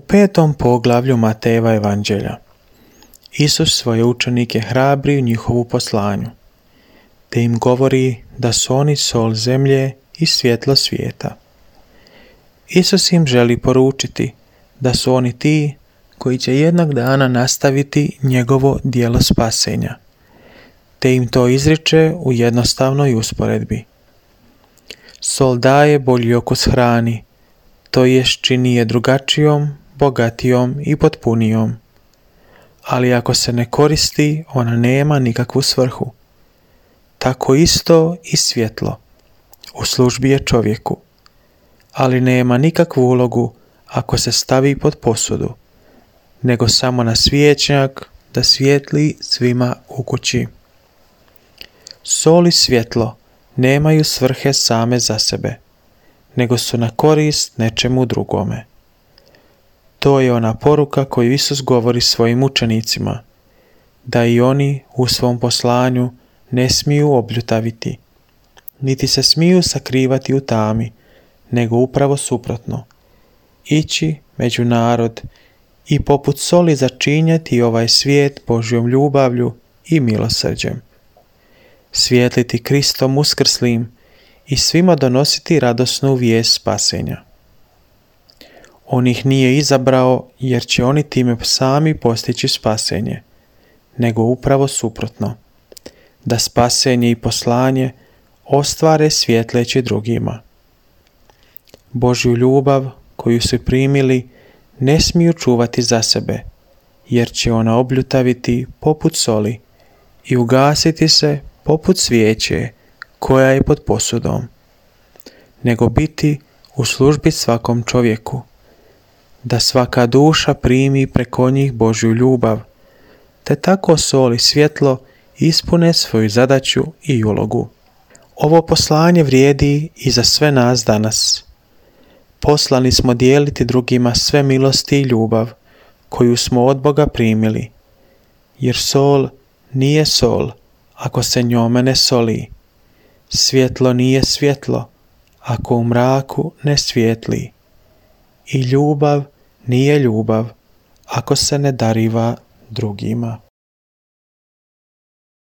5. poglavlju Matejeva evanđelja Isus svoje učenike hrabri u njihovu poslanju, te im govori da su oni sol zemlje i svjetlo svijeta. Isus im želi poručiti da su oni ti koji će jednog dana nastaviti njegovo djelo spasenja, te im to izriče u jednostavnoj usporedbi. Sol daje bolji okus hrani, to jest čini je drugačijom, bogatijom i potpunijom. Ali ako se ne koristi, ona nema nikakvu svrhu. Tako isto i svjetlo u službi je čovjeku, ali nema nikakvu ulogu ako se stavi pod posudu, nego samo na svijećnjak da svijetli svima u kući. Sol i svjetlo nemaju svrhe same za sebe, nego su na korist nečemu drugome. To je ona poruka koju Isus govori svojim učenicima, da i oni u svom poslanju ne smiju obljutaviti, niti se smiju sakrivati u tami, nego upravo suprotno, ići među narod i poput soli začinjati ovaj svijet Božjom ljubavlju i milosrđem. Svijetliti Kristom uskrslim i svima donositi radosnu vijest spasenja. On ih nije izabrao jer će oni time sami postići spasenje, nego upravo suprotno, da spasenje i poslanje ostvare svjetleći drugima. Božju ljubav koju su primili ne smiju čuvati za sebe, jer će ona obljutaviti poput soli i ugasiti se poput svijeće koja je pod posudom, nego biti u službi svakom čovjeku, da svaka duša primi preko njih Božju ljubav, te tako sol i svjetlo ispune svoju zadaću i ulogu. Ovo poslanje vrijedi i za sve nas danas. Poslani smo dijeliti drugima sve milosti i ljubav koju smo od Boga primili, jer sol nije sol ako se njome ne soli. Svjetlo nije svjetlo ako u mraku ne svijetli. I ljubav nije ljubav ako se ne dariva drugima.